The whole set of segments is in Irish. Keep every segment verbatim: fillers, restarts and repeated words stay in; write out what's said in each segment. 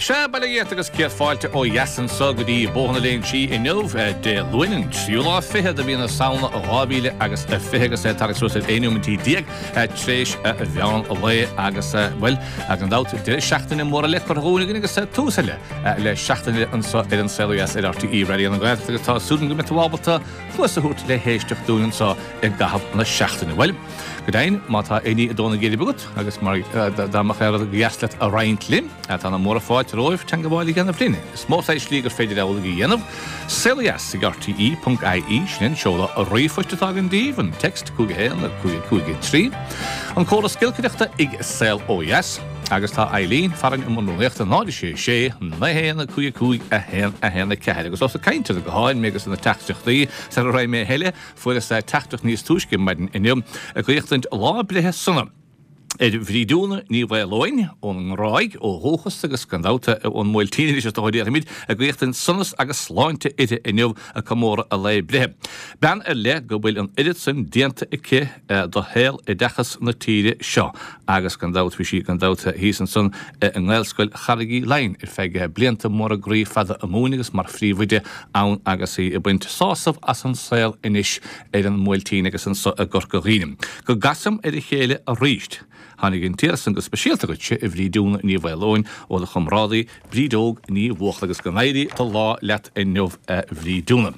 Sea, bail ó Dhia ort agus céad fáilte ó dheas anso go dtí Bóthar na Léinsí inniu, Dé Luain, an tríú lá fichead de mhí na Samhna dhá mhíle agus a fiche agus é ag tarraingt suas ar aon nóiméad déag tar éis mheán lae agus, bhuel, gan dabht, deireadh seachtaine mór eile curtha dhúinn againn agus tús eile le seachtain eile anso ar An Saol Ó Dheas ar R T É Raidió na Gaeltachta agus tá súil agam go mbeidh tú ábalta cluas a thabhairt le héisteacht dúinn anso i gcaitheamh na seachtaine. Bhuel, go deimhin, má tá éinní ag dó na geirbe agat agus mar dá mbeadh aon rud go dheas leat a roinnt linn, tá na múra fáilte romhaibh teagmháil a dhéanamh linn. Is mó saghas slí gur féidir amhlaidh a dhéanamh. Saolodheas ag R T E ponc I E, sin an seoladh ríomhphoist atá againn daoibh, an text cúig haon cúig cúig trí. An córas giolcaireachta ag Saol Ó Dheas, agus tá Eileen farainn i mbun rúnaíochta, náid sé sé naoi haon cúig cúig a haon a haon a ceathair. Agus ós ag caint ar na gutháin mé agus na teachtaireachtaí sara raibh mé eile, fuaireas teachtaireacht níos túisce maidin inniu ag guíochtaint lá breithe sona ar Bhrídiúna Ní Mhaoileoin ón nGráig ó dhúchas agus gan dabht ón mBuailtín anois is dócha déarfaimid, ag guíochtaint sonas agus sláinte uirthi inniu ag comóradh a lae breithe. Bean ar leith go bhfuil an oiread san déanta aici do shaol oideachas na tíre seo agus gan dabht bhí sí gan dabht thíos ansan i nGaelscoil Charraig Uí Leighin ar feadh blianta móra groí fada ag múineadh agus mar phríomhoide ann agus í ag baint sásamh as an saol anois ar an mBuailtín agus anso i gCorca Dhuibhne. Go gcasaim ar a chéile arís. Tháinig an t-iarratas san go speisialta dhuitse, a Bhrídiúna Ní Mhaoileoin, ó do chomrádaí Brídeog Ní Bhuachalla agus go n-éirí do lá leat inniu, a Bhrídiúna.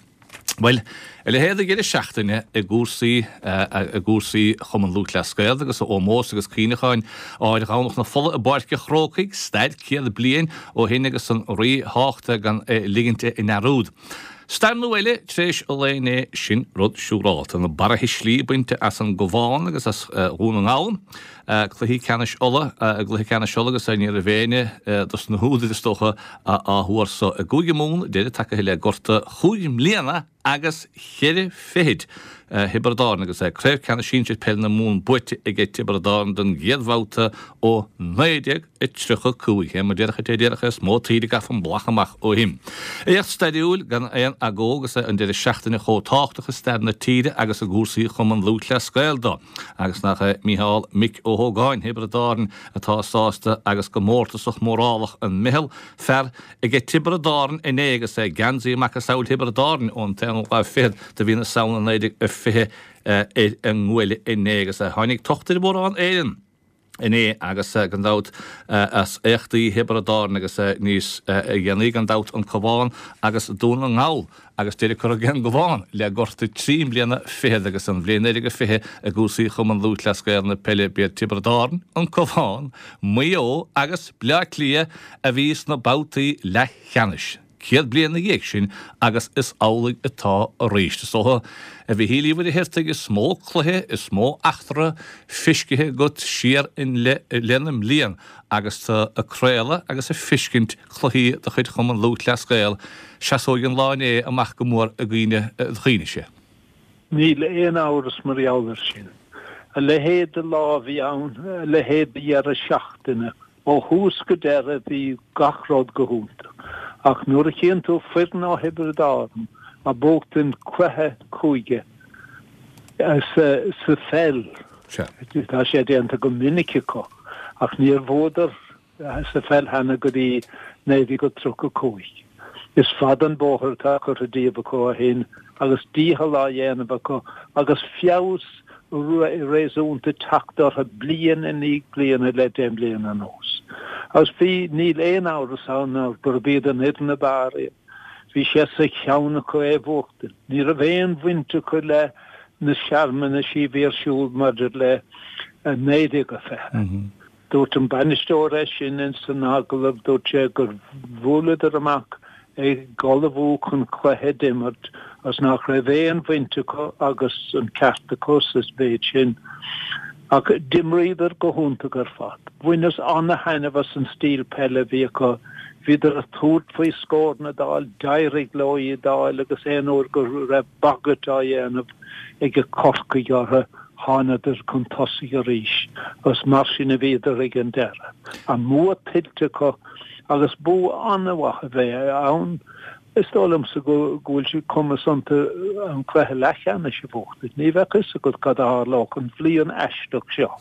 Bhuel, a leithéid de dheireadh seachtaine i gcúrsaí i gcúrsaí Chumann Lúthchleas Gael agus ómós agus cuimhneacháin áir Dhomhnach na Fola i bPáirc an Chrócaigh, stair céad bliain ó shin agus an ríthábhacht gan é ligint i ndearúd. Stair nua eile tar éis an lae inné, sin rud siúrálta. Na barraithe slí bainte as an gCabhán agus as Dhún na nGall. Cluichí ceannais Uladh, i gcluiche ceannais Uladh agus ní raibh éinne dos na húdair is dócha á thuar so. I gCúige Mumhan, deireadh tagaithe le gorta chúig mbliana agus cheithre fichid Thiobraid Árann agus craobh ceannais sinsir peile na Mumhan buaite aige Tiobraid Árann don gcéad bhabhta ó naoi déag tríocha cúig. É mar déarfadh é déarfadh is mó taoide a gcaithfear an bhlach amach ó shin. Éacht stairiúil gan aon agó agus an deireadh seachtaine chomh tábhachtach i stair na tíre agus i gcúrsaí Chumann Lúthchleas Gael dó. Agus nach é Mícheál Mick Ó hÓgáin Thiobraid Árann atá sásta agus go mórtasach mórálach an meitheal fear aige Tiobraid Árann inné agus é geansaí macasamhail Thiobraid Árann ón t-aonú lá fichead de mhí na Samhna naoi déag fiche ar an nguaille inné agus tháinig tocht ar mhórán Éireann inné agus gan dabht as éachtaí Thiobraid Árann agus níos dhéanaí gan dabht an Cabhán agus Dún na nGall agus deireadh curtha ag an gCabhán le gorta trí mbliana fichead agus an bhliain naoi déag fiche i gcúrsaí Chumann Lúthchleas Gael na peile b'iad Tiobraid Árann, an Cabhán, Maigh Eo agus Bleá Cliath a bhí sna babhtaí leathcheannais. Céad bliain ina dhiaidh sin agus is amhlaidh atá arís. Is dócha, a Mhichíl Uí Mhuircheartaigh, is mó cluiche, is mó eachtra feiscithe agat siar i leith na mblian agus tú ag craoladh agus ag feiscint cluichí de chuid Chumann Lúthchleas Gael, seasóidh an lá inné amach go mór i gcuimhne do chuimhnese. Níl aon amhras mar gheall air sin. A leithéid de lá a bhí ann, a leithéid de dheireadh seachtaine. Ó thús go deireadh bhí gach rud go hiontach. Ach nuair a chíonn tú foireann ó Thiobraid Árann a buachtaint cluiche cúige sa pheil, tá sé déanta go minic acu, ach níor bhuadar sa pheil cheana go dtí naoi déag tríocha cúig. Is fada an bóthar atá curtha díobh acu ó shin agus dícheall á dhéanamh acu agus feabhas réasúnta teacht orthu bliain i ndiaidh bliana le deich mbliana anuas. Agus bhí, níl aon amhras ann ná gurb iad an fhoireann ab fhearr iad. Bhí sé sa cheann acu é a bhuachtaint. Ní raibh aon bhaint acu le na searmanaisí a bhí ar siúl maidir le naoi déag a fiche. Dúirt an bainisteoir é sin in san agallamh, dúirt sé gur bhuaileadar amach ag ullmhú chun cluiche d'imirt agus nach raibh aon bhaint acu agus an ceart acu sa mhéid sin. Ach d'imríodar go hiontach ar fad. Bhaineas ana-thaitneamh as an stíl peile a bhí acu. Bhíodar ag tabhairt faoi scóranna d'fháil, d'éirigh leo iad d'fháil agus aon uair go raibh bagairt á dhéanamh ag Corcaigh orthu, thánadar chun tosaigh arís agus mar sin a bhíodar ag an deireadh. An bua tuillte acu agus bua an-mhaith a bheith ann. Is dóigh liomsa go bhfuil sé cumas iontu an cluiche leathcheannais a bhuachtaint. Ní bheadh fhios agat cad a tharlódh an bhliain aisteach seo.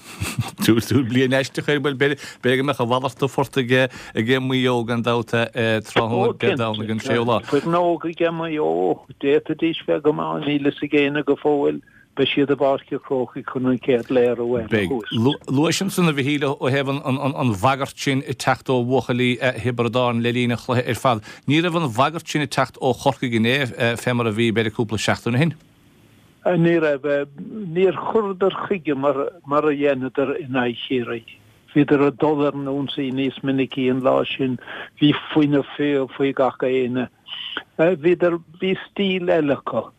Tú bliain aisteach ar bhuel b'fhéidir go mbeadh a mhalairt de phort aige aige Maigh Eo gan dabht tráthnóna Dé Domhnaigh an séú lá. Foireann óg aige Maigh Eo, d'fhéadfaidís bheith go maith, níl fhios ag éinne go fóill. Beidh siad i bPáirc an Chrócaigh chun an chéad léiriú eile a Beidh. thabhairt. Luais ansan a Mhichíl ó thaobh an bhagairt sin ag teacht ó bhuachaillí Thiobraid Árann le linn an chluiche ar fad. Ní raibh an bhagairt sin ag teacht ó Chorcaigh inné fé mar a bhí b'fhéidir cúpla seachtain ó shin. Ní raibh. Níor chuireadar chuige mar mar a dheineadar in aghaidh Chiarraí. Bhíodar ag dul ar an ionsaí níos minicí an lá sin. Bhí fuinneamh faoi gach éinne. Bhíodar, bhí stíl eile acu.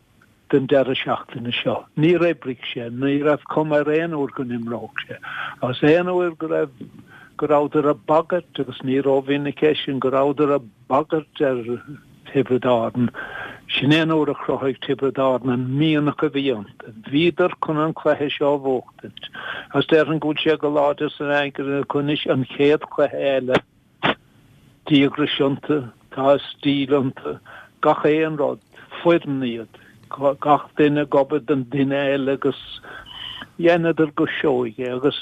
den deireadh seachtaine seo. Níor oibrigh sé, ní raibh cuma ar aon uair go n-imreodh sé. Agus aon uair go raibh, go rabhadar ag bagairt, agus ní rómhinic é sin, go rabhadar ag bagairt ar Thiobraid Árann, sin é an uair a chruthaigh Tiobraid Árann an mianach a bhí iontu. Bhíodar chun an cluiche seo a bhuachtaint. Agus déarfainn go bhfuil sé go láidir san aigne acu anois an chéad chluiche eile. Díograis iontu, tá stíl iontu, gach aon rud, foireann iad, gach duine ag obair don duine eile agus dheineadar go seoigh é agus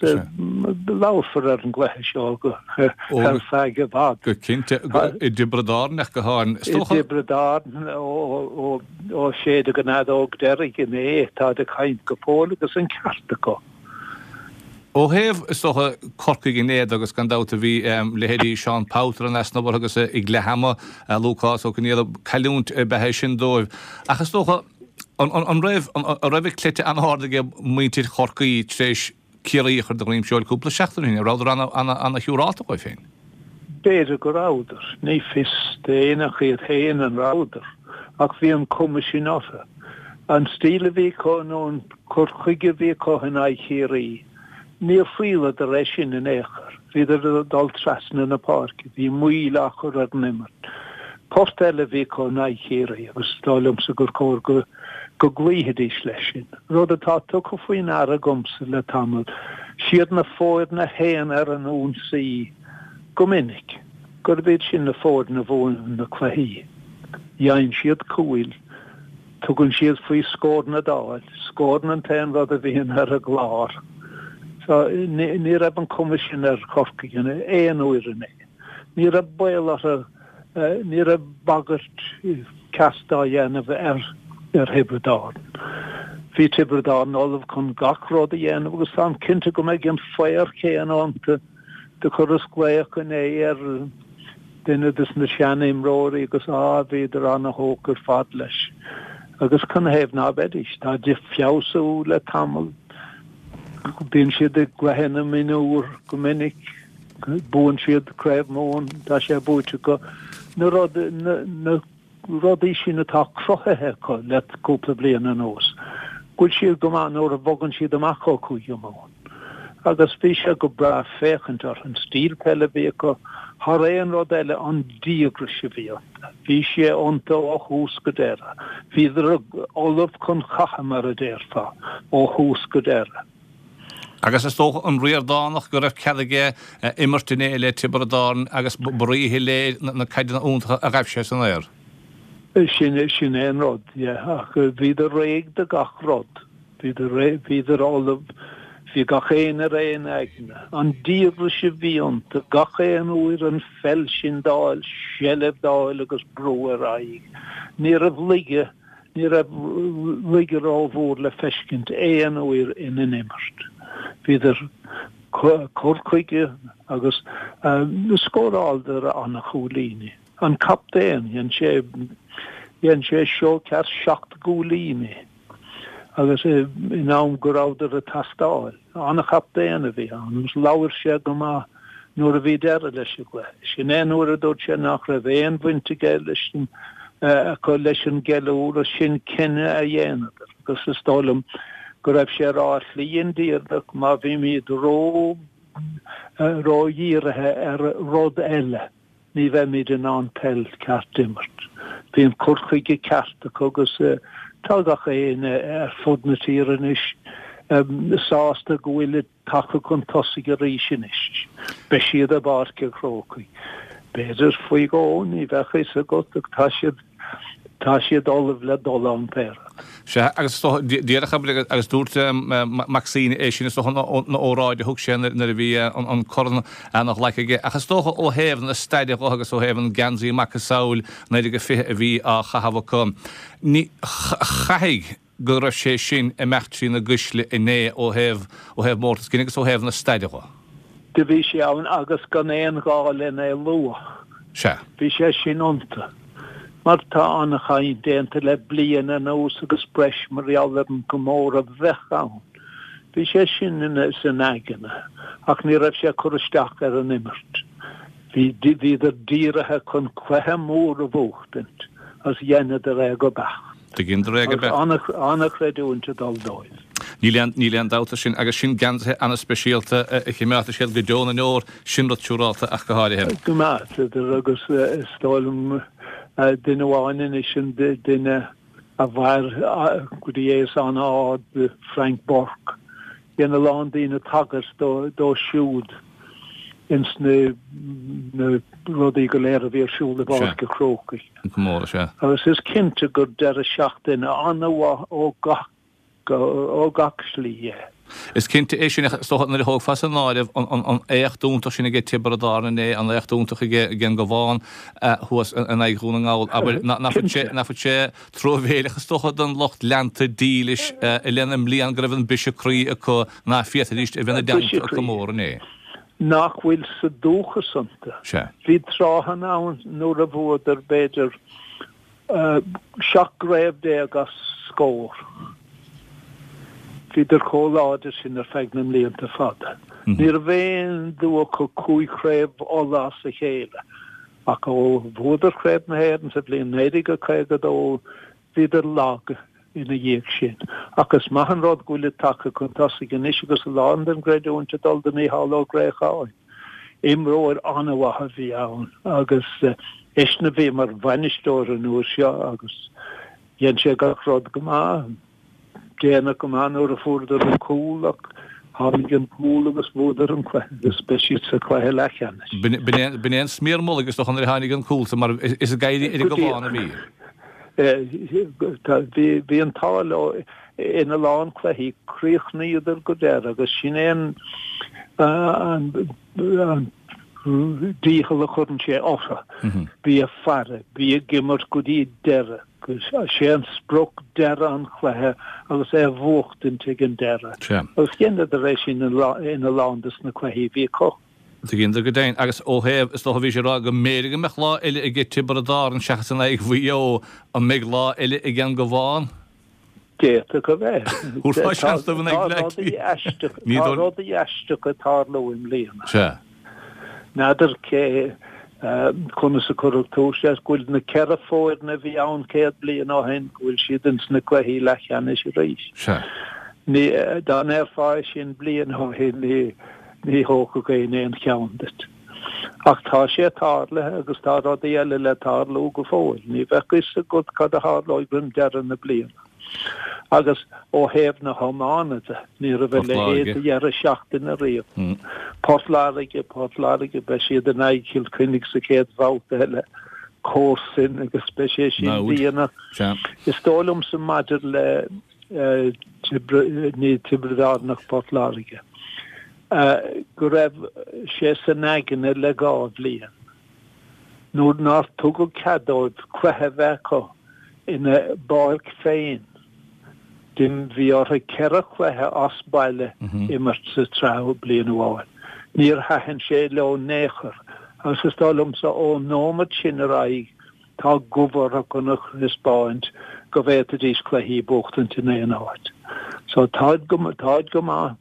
labharfar ar an gcluiche seo go ar feadh i bhfad. Go cinnte, i dTiobraid Árann ach go háirithe. I dTiobraid Árann ó séideadh an fheadóg deiridh inné, táid ag caint go fóill agus an ceart acu. Ó thaobh, is dócha, Corcaigh inné agus gan dabht a bhí leithéidí Seán Powter in easnamh orthu agus ag leath ama, Lúcás Ó Conghaile, cailliúint ab ea é sin dóibh. Ach is dócha, an raibh an raibh a gcleite an-ard ag muintir Chorcaí tar éis Ciarraí a chur de dhroim seoil cúpla seachtain ó shin? An rabhadar an-shiúrálta dhóibh féin? B'fhéidir go rabhadar. Ní fios d'éinne ach iad féin an rabhadar. Ach bhí an cuma sin orthu. An stíl a bhí acu nó an cur chuige a bhí acu in aghaidh Chiarraí, níor thriaileadar é sin in aon chor. Bhíodar ag dul trasna na páirce, bhí moill á chur ar an imirt. Port eile a bhí acu in aghaidh Chiarraí agus is dóigh liomsa gur chóir go go gcloífidís leis sin. Rud atá tugtha faoi ndeara agamsa le tamall, siad na foirne a théann ar an ionsaí go minic, gurb iad sin na foirne a bhuann na cluichí. Gheibheann siad cúil, tugann siad faoi scóranna d'fháil, scóranna an t-aon rud a bhíonn ar a gclár. So, ní raibh an cuma sin ar Chorcaigh aon uair inné. Ní raibh baol orthu, ní raibh bagairt ceart á dhéanamh ar ar Thiobraid Árann. Bhí Tiobraid Árann ullamh chun gach rud a dhéanamh agus táim cinnte go mbeidh an faobhar céanna iontu. Do chuireas glaoch inné ar duine des na sean-imreoirí agus á, bhíodar ana-thógtha ar fad leis. Agus canathaobh ná beidís? Táid ag feabhsú le tamall. Bíonn siad i gcluiche na mionúr go minic. Buann siad Craobh Mumhan, tá sé buaite acu. Na rud, na, na rudaí sin atá cruthaithe acu le cúpla bliain anuas, go bhfuil siad go maith nuair a bhogann siad amach ó Chúige Mumhan. Agus bhí sé go breá féachaint orthu, an stíl peile a bhí acu, thar aon rud eile an díograis a bhí iontu. Bhí sé iontu ó thús go deireadh. Bhíodar ullamh chun catha, mar a déarfá, ó thús go deireadh. Agus is dócha an Ríordánach go raibh cead aige imirt inné le Tiobraid Árann agus ba ríshoiléir na caideanna iontacha a ghaibh sé san aer. Sin sin é an rud, yeah. Ach bhíodar réidh do gach rud. Bhíodar réidh, bhíodar ullamh, bhí gach éinne ar aon aigne. An díograis a bhí iontu, gach aon uair an pheil sin d'fháil, seilbh d'fháil agus brú ar aghaidh. Ní raibh laige, ní raibh laige rómhór le feiscint aon uair ina n-imirt. Bhíodar cur chuige agus scóráladar ana-chúilíní. An captaen, dhein sé, dhein sé seó ceart seacht gcúilíní agus in am go rabhadar ag teastáil. An-chaptaen a bhí ann agus labhair sé go maith nuair a bhí deireadh leis an gcluiche. Sin é nuair a dúirt sé nach raibh aon bhaint aige leis an, acu leis an gceiliúradh, sin cinneadh a dheineadar agus is dóigh liom go raibh sé ag rá slí indíreach má bhímid ró, ródhírithe ar rud eile. ní bheimid in ann peil ceart d'imirt. Bhí an cur chuige ceart acu agus tá gach éinne ar fud na tíre anois sásta go bhfuilid tagtha chun tosaigh arís anois. Beidh siad i bPáirc an Chrócaigh. B'fhéidir faoi dhó, ní bheadh fhios agat ach tá siad tá siad ullamh le dul ann pé rud. Sea, agus is dócha, díreach abair, agus dúirt Mac Suibhne é sin is dócha ina óráid a thug sé nuair a bhí an corn á ghlacadh aige, ach is dócha ó thaobh na staide dho agus ó thaobh an geansaí macasamhail naoi déag fiche a bhí á chaitheamh acu, ní, chaithfidh go raibh sé sin ag imeacht trí na gcuisle inné ó thaobh, ó thaobh mórtas cinn agus ó thaobh na staide dho. Do bhí sé ann agus gan aon ghá len é lua. Sea. Bhí sé sin iontu. Mar tá an-chaint déanta le bliain anuas agus breis mar gheall ar an gcomóradh a bheadh ann. Bhí sé sin ina, san aigne ach ní raibh sé ag cur isteach ar an imirt. Bhí, bhíodar dírithe chun cluiche mór a bhuachtaint agus dheineadar é go beacht. Dheineadar é go beacht. Agus an-chreidiúint ag dul dóibh. Níl aon, níl aon dabht air sin agus sin geansaithe an-speisialta a chimeádfaidh siad go deo na ndeor, sin rud siúrálta ach go háirithe. Go maith, agus is dóigh liom duine amháin anois an duine a mhair go dtí aos an-ard, Frank Burke. Dhein a lán daoine tagairt dó, dó siúd ins na, na rudaí go léir a bhí ar siúl i bPáirc an Chrócaigh. An comóradh, sea. Agus is cinnte gur deireadh seachtaine an-mhaith ó gach, ó gach slí é. Is cinnte é sin, ach is dócha nuair a thógfá san áireamh an, an, an éacht iontach sin aige Tiobraid Árann inné, an éacht iontach aige, aige an Gabhán thuas in aghaidh Dhún na nGall, abair, nach bhfuil sé, nach bhfuil sé truamhéileach is dócha don lucht leanta dílis i leith na mblian go raibh an briseadh croí acu ná féadfaidís a bheith ina dteannta ag comóradh inné. nach bhfuil sa dúchas iontu. Sea. Bhí tráthanna ann nuair a bhuadar b'fhéidir seacht gcraobh déag as scór. Bhíodar chomh láidir sin ar feadh na mblianta fada. Ní raibh aon dua acu cúig chraobh Uladh as a chéile, ach ó bhuadar Craobh na hÉireann sa bhliain naoi déag caoga a dó, Bhíodar lag ina dhiaidh sin. Ach is maith an rud go bhfuilid tagtha chun tosaigh anois agus a lán den gcreidiúint ag dul do Mhícheál Ó Gréacháin. Imreoir an-mhaith a bhí ann agus eisean a bhí mar bhainisteoir an uair seo agus dhein sé gach rud go maith. Déanach go maith nuair a fuaireadar an cúl ach tháinig an cúl agus bhuadar an cluiche agus beidh siad sa chluiche leathcheannais. B'in é an smior mullaigh is dócha nuair a tháinig an cúl san mar is ag éirí ar an gCabhán a bhí. Bhí an t-ádh leo ina lán cluichí, chríochnaíodar go deireadh agus sin é an dícheall a chuireann sé orthu. Bí ag faire, bí ag imirt go dtí deireadh, sé an sprioc deireadh an chluiche agus é a bhuachtaint ag an deireadh. Agus dheineadar é sin ina lán de na cluichí a bhí acu. Dheineadar go deimhin. Agus ó thaobh, is dócha, bhí sé ag rá go mb'fhéidir go mbeadh lá eile aige Tiobraid Árann seachas in aghaidh Mhaigh Eo, an mbeidh lá eile ag an gCabhán? D'fhéadfadh a bheith. Thabharfá seans dóibh in aghaidh Bhleá Cliath. Tá rudaí aisteacha ag tarlú i mbliana. Sea. N'fheadar cé conas a cuireadh tús leis, go bhfuil na ceithre foireann a bhí ann céad bliain ó shin, go bhfuil siad ins na cluichí leathcheannais arís. Sea. Ní, dá ndéarfá é sin bliain ó shin, ní, Ní thógfadh éinne aon cheann duit. Ach tá sé tarlaithe agus tá rudaí eile le tarlú go fóill. Ní bheadh fhios agat cad a tharlóidh roim deireadh na bliana. Agus ó thaobh na hiomána de, ní raibh a leithéid de dheireadh seachtaine riamh. Port Láirge, Port Láirge, beidh siad in aghaidh Chill Chainnigh sa chéad bhabhta eile, comharsain agus beidh sé sin déanach. Is dóigh liomsa maidir le ní Tiobraid Árann ach Port Láirge, go raibh sé san aigne le dhá bhliain, nuair nár tugadh cead dóibh cluiche a bheith acu ina bpáirc féin, bhí orthu ceithre chluiche as baile imirt sa tsraith bliain amháin. Níor thaitin sé leo in aon chor agus is dóigh liomsa ón nóiméad sin ar aghaidh, Tá gomh orthu chun a thaispeáint go bhféadfaidís cluichí a bhuachtaint in aon áit. So táid go, táid go maith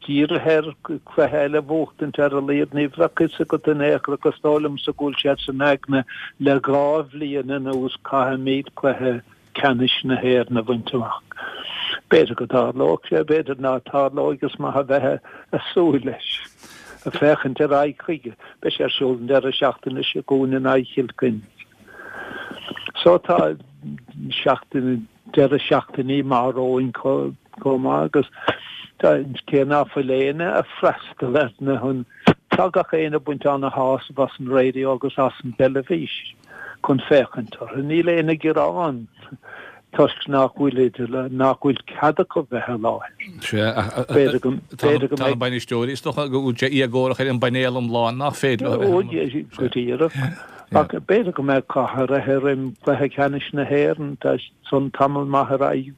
dírithe ar cluiche eile a bhuachtaint ar a laghad. Ní bheadh fhios agat in aon chor ach is dóigh liomsa go bhfuil siad san aigne le dhá bhliain anuas caithfimid cluiche ceannais na hÉireann a bhaint amach. B'fhéidir go dtarlóidh sé, b'fhéidir ná tarlóidh, is maith a bheith ag súil leis, ag féachaint ar aghaidh chuige. Beidh sé ar siúl an deireadh seachtaine seo chugainn in aghaidh Chill Chainnigh. So tá seachtain, deireadh seachtainí maith romhainn chomh maith agus tá, cé ná fuil éinne ag freastal ar na, tá gach éinne ag baint ana-shásamh as an raidió agus as an dteilifís. chun féachaint orthu. Níl aon ghearán toisc nach bhfuil idir nach bhfuil cead acu bheith i láthair. B'fhéidir go b'fhéidir go mbeidh bainisteoirí is dócha go bhfuil sé éagórach ar an bpainéal iomlán nach féidir leo a bheith Go díreach. Ach b'fhéidir go mbeidh cath ar im cluiche ceannais na hÉireann, tá san tamall maith ar aghaidh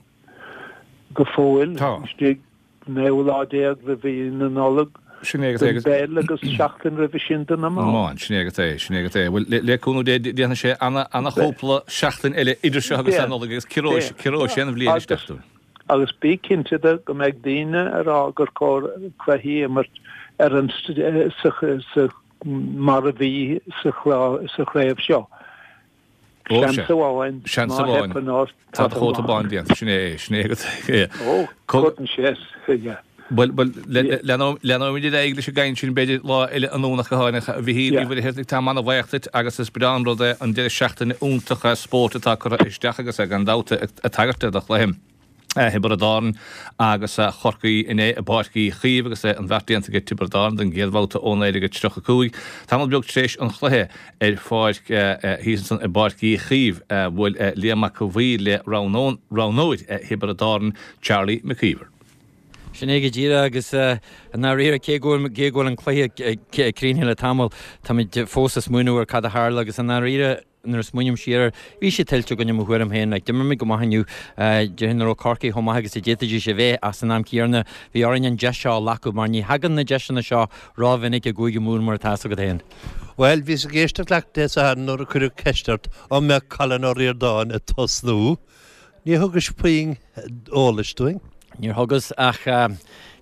go fóill. Istigh naoi lá déag roimh mhí na Nollag. Sin é agus é. Don bpeil agus seachtain roimhe sin don iomáint. Sin é agus é, sin é agus é. Bhuel, le cúnamh Dé déanfaidh sé ana-chúpla seachtain eile idir seo agus an Nollaig agus ciorróidh sé an bhliain isteach dúinn. Agus bí cinnte de go mbeidh daoine ag rá gur chóir cluichí a imirt ar an sa mar a bhí sa chraobh seo. Seans amháin, Seans amháin. Tá do chóta bán déanta, sin é, sin é agat. Ó, cuireann sé, yeah. Bhuel, bhuel, leanfaimid ar aghaidh leis an gcaint sin b'fhéidir lá eile anonn ach go háirithe a Mhichíl Uí Mhuircheartaigh, táim an-bhuíoch duit agus is breá an rud é an deireadh seachtaine iontach spóirt atá curtha isteach agus gan dabht ag tagairt do chluiche. Thiobraid Árann agus Chorcaí inné i bPáirc Uí Chaoimh agus an bheart déanta ag Tiobraid Árann don gcéad bhabhta ó naoi déag tríocha cúig. Tamall beag tar éis an chluiche ar pháirc thíos ansan i bPáirc Uí Chaoimh bhuail Liam Mac a' Bhaoill le roghnóir Thiobraid Árann, Charlie McKeever. Sin é go díreach agus i ndáiríre cé go bhfuil an cluiche críochnaithe le tamall, táimid fós ag smaoineamh ar cad a tharla agus i ndáiríre nuair a smaoiním siar air, bhí sé tuillte againn i mo thuairim féin. Like, d'imir muid go maith inniu. Déarfainn nach raibh Corcaigh chomh maith agus a d'fhéadfaidís a bheith ach san am céanna bhí orainn an deis seo a ghlacadh mar ní thagann na deiseanna seo rómhinic i gCúige Mumhan mar atá fhios agat féin. Bhuel, bhíos ag éisteacht leat Dé Sathairn nuair a cuireadh ceist ort an mbeadh Colin Ó Ríordáin ag tosnú. Níor thugais puinn eolais dúinn. Níor thugas ach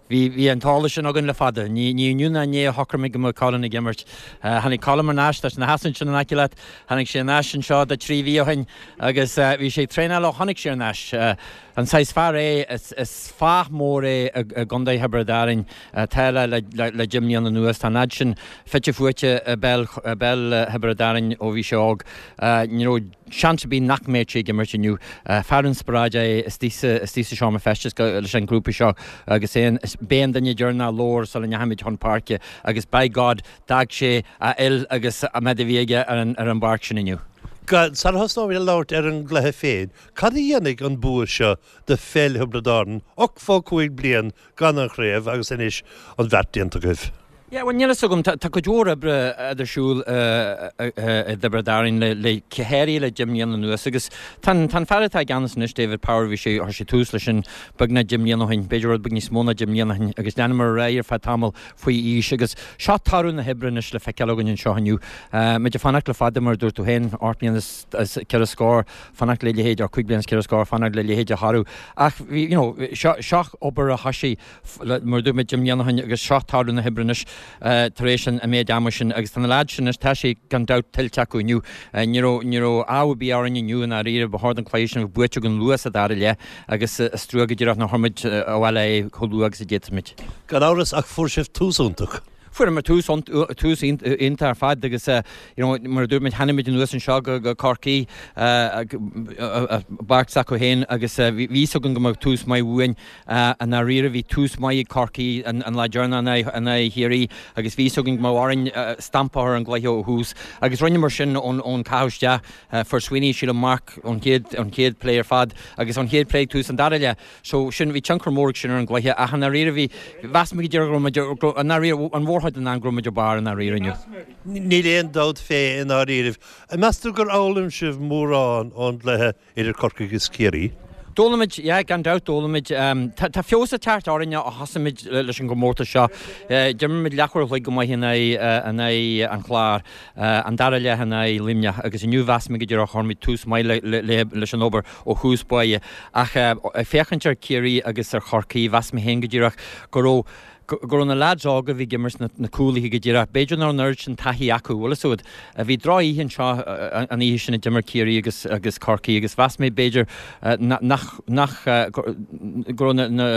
bhí bhí an t-eolas sin againn le fada. Ní ní inniu ná inné a shocraigh muid go mbeadh Colin ag imirt. Tháinig Colin thar n-ais, tá sé ina sheasamh ansin in aice leat, tháinig sé thar n-ais anseo de trí mhí ó shin agus bhí sé ag traenáil ó tháinig sé thar n-ais. An saghas fear é, is is fáth mór é i gContae Thiobraid Árainn atá le le le deich mbliana anuas. Tá an fhad sin fite fuaite i bpeil i bpeil Thiobraid Árainn ó bhí sé óg. Ní raibh seans ar bith nach mbeadh sé ag imirt inniu. Fear inspioráide é istigh sa istigh sa seomra feistis leis an ghrúpa seo agus é b'é an duine deireanach a labhair sula ndeachaigh muid chun páirce agus by God d'fhág sé a fhuil agus an méid a bhí aige ar an ar an bpáirc sin inniu. Sara thosnóimid ag labhairt ar an gcluiche féin, cad a dhéanfaidh an bua seo do pheil Thiobraid Árann, ochtó cúig bliain gan an chraobh agus anois an bheart déanta agaibh? Yeah, bhuel, níl a fhios agam. Tá cuid mhór oibre ar siúl i dTiobraid Árann le go háirithe le deich mbliana anuas agus tá an fear atá i gceannas anois, David Power, bhí sé, chuir sé tús leis sin beagnach deich mbliana ó shin, b'fhéidir rud beag níos mó ná deich mbliana ó shin agus leanamar ar aghaidh ar feadh tamaill faoi aois agus seo toradh na hoibre anois le feiceáil againn anseo inniu. Muid ag fanacht le fada mar a dúirt tú féin, ocht mbliana is ceithre scór, fanacht le leithéid, or cúig bliana is ceithre scór, fanacht le leithéid de thoradh ach bhí, you know, seo, seo obair a thosaigh mar a dúirt mé deich mbliana ó shin agus seo toradh na hoibre anois tar éis an méid ama sin agus tá na leaids sin anois, tá sé gan dabht tuillte acu inniu. Ní raibh, ní raibh ádh ar bith orainn inniu i ndáiríre, ba chóir don chluiche sin a bheith buaite againn luath sa dara leath agus is trua go díreach nár chuir muid abhaile é chomh luath agus a d'fhéadfadh muid. Gan amhras ach fuair sibh tús iontach. Fuaireamar tús tús iontach ar fad agus you know mar a dúirt muid tháinig muid anuas anseo go go Corcaigh bpáirc s'acu féin agus bhí fhios againn go mbeadh tús maith uainn. I ndáiríre bhí tús maith ag Corcaigh an lá deireanach in aghaidh Chiarraí agus bhí fhios againn go mbeadh orainn stampa a chur ar an gcluiche ó thús agus rinneamar sin ón ón caitheamh isteach. Fuair Sweeney sílim marc ón chéad ón chéad plé ar fad agus ón chéad plé ag tús an dara leath. So sin, bhí tionchar mór ag sin ar an gcluiche ach i ndáiríre bhí, mheas mé go díreach go raibh muid, i ndáiríre, an mhórchuid den am go raibh muid ar barr i ndáiríre inniu. Níl aon dabht fé i ndáiríribh. An meas tú gur fhoghlaim sibh mórán ón gcluiche idir Corcaigh agus Ciarraí? D'fhoghlaim muid, yeah, gan dabht d'fhoghlaim muid. Tá, tá feabhas ag teacht orainn ó thosaigh muid leis an gcomórtas seo. D'imir muid leathuair a chloig go maith in aghaidh, in aghaidh an Chláir, an dara leath in aghaidh Luimneach agus inniu mheas mé go díreach chuir muid tús maith le, le, le, leis an obair ó thús báire. Ach ag féachaint ar Chiarraí agus ar Chorcaigh, mheas mé féin go díreach go raibh, go raibh na leaids óga a bhí ag imirt na cúlaithe go díreach, b'fhéidir nach raibh an oiread sin taithí acu, bhfuil fhios agat. Bhí droch-oíche anseo an oíche sin a d'imir Ciarraí agus agus Corcaigh agus mheas mé b'fhéidir nach nach go raibh na na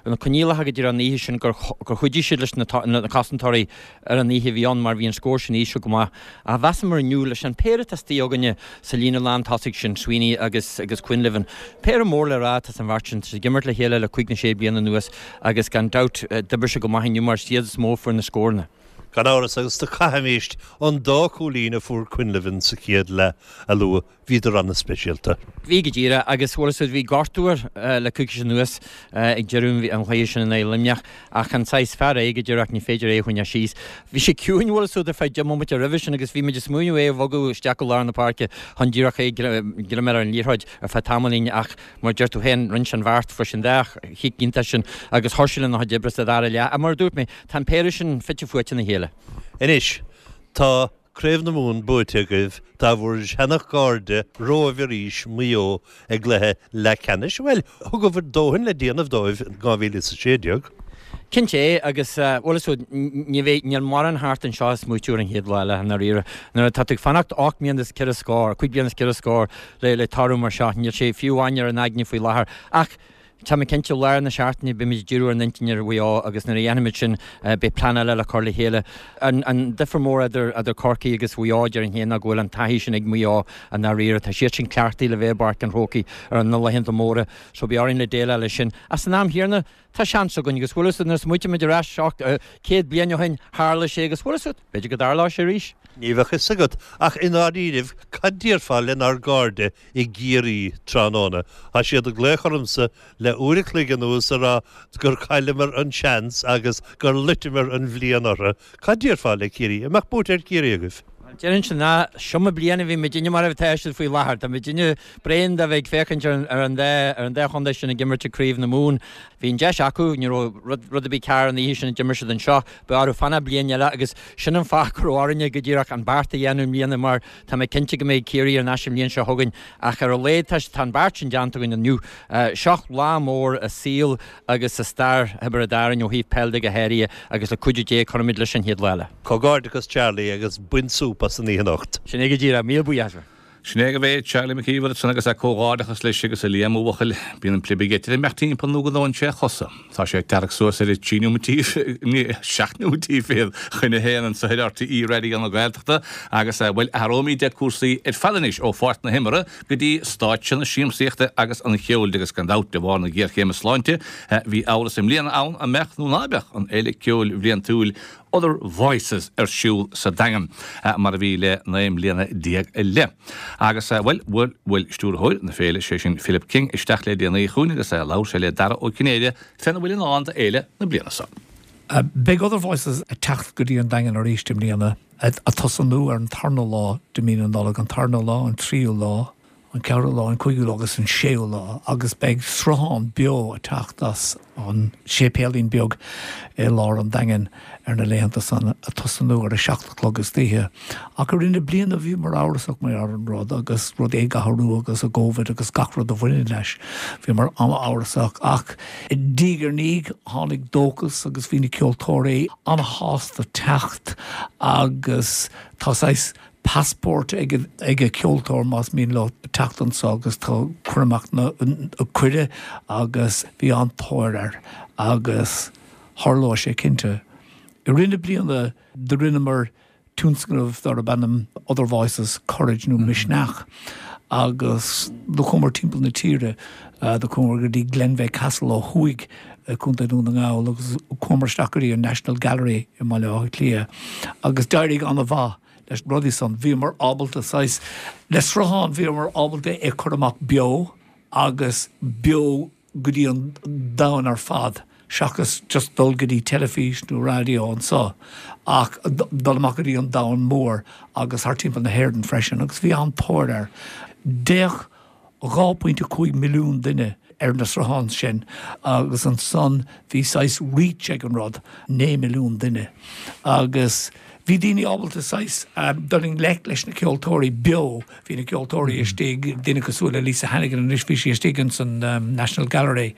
na coinníollacha go díreach an oíche sin gur gur chuidigh siad leis na na cosantóirí ar an oíche a bhí ann mar bhí an scór sin íseal go maith. Ach mheasamar inniu leis an péire atá istigh againne sa líne lán tosaigh sin, Sweeney agus agus Quinlivan, péire mór le rá atá san bheirt sin, tá siad ag imirt le chéile le cúig nó sé bliana anuas agus gan dabht d'oibrigh sé go maith inniu mar is iad is mó a fuair na scóranna. Gan amhras agus do caithfimid an dá chúilín a fuair Quinlivan sa chéad leath a lua, bhíodar an-speisialta. Bhí go díreach agus bhfuil a fhios agat bhí gortú air le coicís anuas ag deireadh an chluiche sin in aghaidh Luimneach ach an saghas fear é go díreach ní féidir é a choinneáil síos. Bhí sé ciúin bhfuil a fhios agat ar feadh deich mbomaite roimhe sin agus bhí muid ag smaoineamh é a bhogadh isteach go lár na páirce chun díreach é greim ar an liathróid ar feadh tamaillín ach mar a deir tú féin rinne sé an bheart fuair sé an dá chic iontach sin agus chuir sé lena chuid oibre sa dara leath. Mar a dúirt mé tá an péire sin fite fuaite ina chéile. Anois, tá Craobh na Mumhan buaite agaibh, tá bhur seana-chairde romhaibh arís, Maigh Eo, i gcluiche leathcheannais. Bhuel, thugabhair dóthain le déanamh dóibh in dhá mhíle is a sé déag. Cinnte é, agus bhfuil a fhios agat, ní bheidh, níl mórán thart anseo a smaoitiú ar an chéad lá eile, i ndáiríre. Nuair atá tú ag fanacht ocht mbliana is ceithre scór, cúig bliana is ceithre scór le, le toradh mar seo, níl sé fiú amháin ar an aigne faoi láthair. Ach tá mé cinnte, lár na seachtaine beimid ag díriú ár n-intinn ar Mhaigh Eo agus nuair a dhéanfaimid sin beidh plean eile le cur le chéile. An, an difear mór idir, idir Corcaigh agus Mhaigh Eo, déarfainn féin, ná go bhfuil an taithí sin ag Maigh Eo i ndáiríre. Tá siad sin cleachtaithe le bheith i bPáirc an Chrócaigh ar na laethanta móra so beidh orainn le déileáil leis sin. Ach san am chéanna, tá seans againn agus bhfuil a fhios agat nuair a smaoitímid ar ais seacht, céad bliain ó shin, tharla sé agus bhfuil a fhios agat, b'fhéidir go dtarlóidh sé arís. Ní bheadh fhios agat, ach i ndáiríribh, cad déarfá lenár gcairde i gCiarraí tráthnóna? Tá siad ag glaoch ormsa le uair a chloig anuas a rá gur chailleamar an seans agus gur loiteamar an bhliain orthu. Cad déarfá le Ciarraí? An mbeadh buaite ar Chiarraí agaibh? Déarfainnse ná seo mo bliain a bhí muidinne mar atá siad faoi láthair. Tá muidinne bréan de bheith ag féachaint ar ar an dá ar an dá chontae sin ag imirt i gCraobh na Mumhan. Bhí an deis acu, ní raibh rud rud ar bith cearr an oíche sin a d'imir siad anseo. Beidh orthu fanacht bliain eile agus sin an fáth go raibh orainne go díreach an beart a dhéanamh i mbliana mar tá mé cinnte go mbeidh Ciarraí ar ais an bhliain seo chugainn ach ar a laghad tá tá an beart sin déanta againn inniu. Seo lá mór i saol agus i stair Thiobraid Árann ó thaobh peil de go háirithe agus le cuidiú Dé cuirfimid leis an chéad lá eile. Comhghairdeachas Charlie agus bain súp as an oíche anocht. Sin é go díreach, míle buíochas. Sin é go bhféad Charlie McKeever ansan agus a comhghairdeachas leis agus a Liam a bhuachaill. Bíonn an plib ag eitilt imeacht timpeall nó go ndónn sé a chosa. Tá sé ag tarrac suas ar a trí nóimeataí, seacht nóimeataí fichead chun a haon anso ar RTÉ Raidió na Gaeltachta agus, bhuel, athróimid cúrsaí ar fad anois ó pháirc na himeartha go dtí stáitse na siamsaíochta agus an cheoil agus gan dabht de bharr na géarchéime sláinte bhí amhras i mbliana ann an mbeadh nó ná beadh an fhéile ceoil bhliantúil Other Voices ar siúl sa Daingean, mar a bhí le naoi mbliana déag i leith. Agus, bhuel, bhuail, bhuail stiúrthóir na féile, sé sin Philip King, isteach le déanaí chugainn agus labhair sé le Dara Ó Cinnéide féna bhfuil i ndán do fhéile na bliana seo. Beidh Other Voices ag teacht go dtí an Daingean arís i mbliana, ag tosnú ar an tarna lá de mí na Nollag, an tarna lá, an tríú lá, an ceathrú lá, an cúigiú lá agus an séú lá agus beidh sruthán beo ag teacht as an séipéilín beag i lár an Daingin ar na laethanta san ag tosnú ar a seacht a chlog istoíche. Ach i rith na bliana bhíomar amhrasach mar ar an rud agus rudaí ag athrú agus an Covid agus gach rud a bhaineann leis. Bhíomar an-amhrasach ach diaidh ar ndiaidh tháinig dóchas agus bhí na ceoltóirí an-shásta teacht agus tá saghas passport ag ag an ceoltóir más mian leo teacht anseo agus tá cur amach na cuireadh agus bhí an-tóir air agus tharlódh sé cinnte. I rith na bliana do rinneamar tionscnamh darb ainm Other Voices Courage nó Misneach agus do chuamar timpeall na tíre, do chuamar go dtí Glenveagh Castle ó thuaidh i Contae Dhún na nGall agus chuamar isteach go dtí an National Gallery i mBaile Átha Cliath agus d'éirigh an-mhaith leis na rudaí san. Bhíomar ábalta saghas, le sruthán bhíomar ábalta é cur amach beo agus beo go dtí an domhan ar fad seachas just dul go dtí teilifís nó raidió anseo ach dul amach go dtí an domhan mór agus thar timpeall na hÉireann freisin agus bhí an-tóir air. D'fhéach dhá phointe cúig milliún duine ar na srutháin sin agus ansan bhí saghas reach ag an rud, naoi milliún duine agus bhí daoine ábalta saghas dul i ngleic leis na ceoltóirí beo, bhí na ceoltóirí istigh, duine cosúil le Lisa Hannigan anois bhí sí istigh ins an National Gallery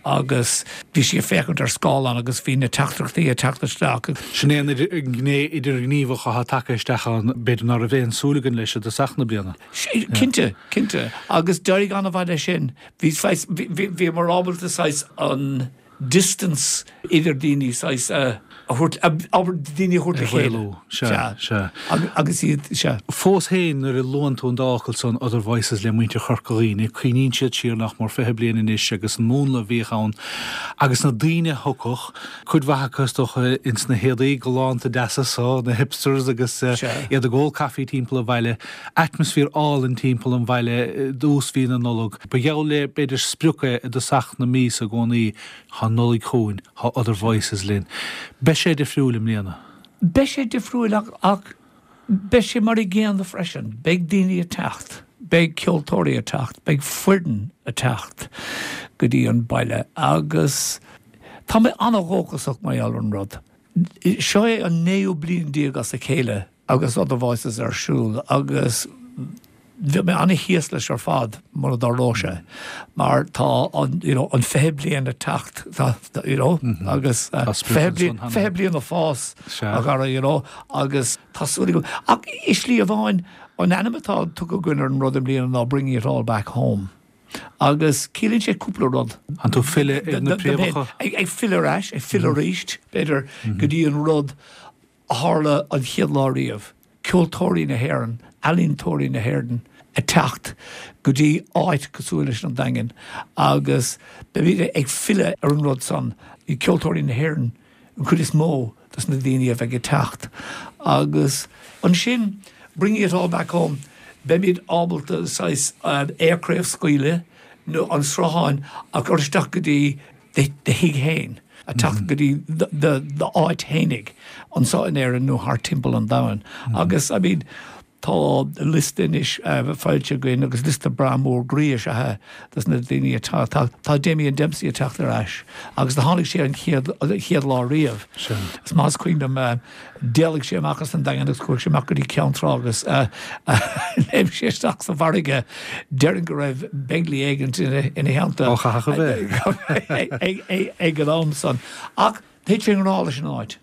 agus bhí sí ag féachaint ar scáileán agus bhí na teachtaireachtaí ag teacht isteach. Sin é an ghné idirghníomhach atá tagtha isteach ann, b'fhéidir ná raibh aon súil againn leis i dtosach na bliana. Cinnte, cinnte. Agus d'éirigh an-mhaith leis sin. Bhí saghas, bhíomar ábalta saghas an distance idir daoine saghas a a thabhairt, abair, daoine a thabhairt le chéile. Sea, sea. Agus iad, sea. Fós féin, nuair a luann tú an dá fhocal san, Other Voices le muintir Chorca Dhuibhne, cuimhníonn siad siar nach mór fiche bliain anois agus an múnla a bhíodh ann agus na daoine a thiocfadh, cuid mhaith acu is dócha ins na héadaí galánta deasa so, na hipsters agus iad ag ól caife timpeall an bhaile, atmaisféar álainn timpeall an bhaile i dtús mhí na Nollag. Ba gheall le, b'fhéidir, sprioc é i dtosach na míosa i gcónaí, Tá an Nollaig chugainn, tá Other Voices linn. Beidh sé difriúil i mbliana. Beidh sé difriúil ach ach beidh sé mar a gcéanna freisin. Beidh daoine ag teacht, beidh ceoltóirí ag teacht, beidh foireann ag teacht go dtí an baile agus tá mé an-dhóchasach mar gheall ar an rud. Seo é an naoú bliain déag as a chéile agus Other Voices ar siúl agus bheadh mé an-thíos leis ar fad mura dtarlódh sé mar tá an you know an fiche bliain ag teacht tá you know agus fiche bliain fiche bliain ag fás a Dhara you know agus tá súil agam ach i slí amháin an ainm atá tugtha againn ar an rud i mbliana ná Bringing It All Back Home agus ciallaíonn sé cúpla rud. An tú filleadh ar na préamhacha? Ag filleadh ar ais, ag filleadh arís b'fhéidir go dtí an rud a tharla an chéad lá riamh, ceoltóirí na hÉireann, ealaíontóirí na hÉireann ag teacht go dtí áit cosúil leis an Daingean agus beimid ag filleadh ar an rud san, ceoltóirí na hÉireann an chuid is mó dos na daoine a bheidh ag teacht agus ansin bringing it all back home, beimid ábalta saghas aerchraobhscaoileadh nó an sruthán a chur isteach go dtí do thigh féin, a teacht go dtí d'áit fhéinig anseo in Éirinn nó thart timpeall an domhain. Agus, I mean, tá liosta anois foilsithe againn agus liosta breá mór groí is ea é dos na daoine atá ag teacht. Tá Damien Dempsey ag teacht ar ais agus do tháinig sé an chéad chéad lá riamh. Is maith is cuimhin liom d'éalaigh sé amach as an Daingean agus chuaigh sé amach go dtí Ceann Trá agus léim sé isteach sa bhfarraige. Déarfainn go raibh Begley éigint ina theannta Ó chaithfeadh a bheith. ag an am san. Ach thit sé i ngrá leis an áit.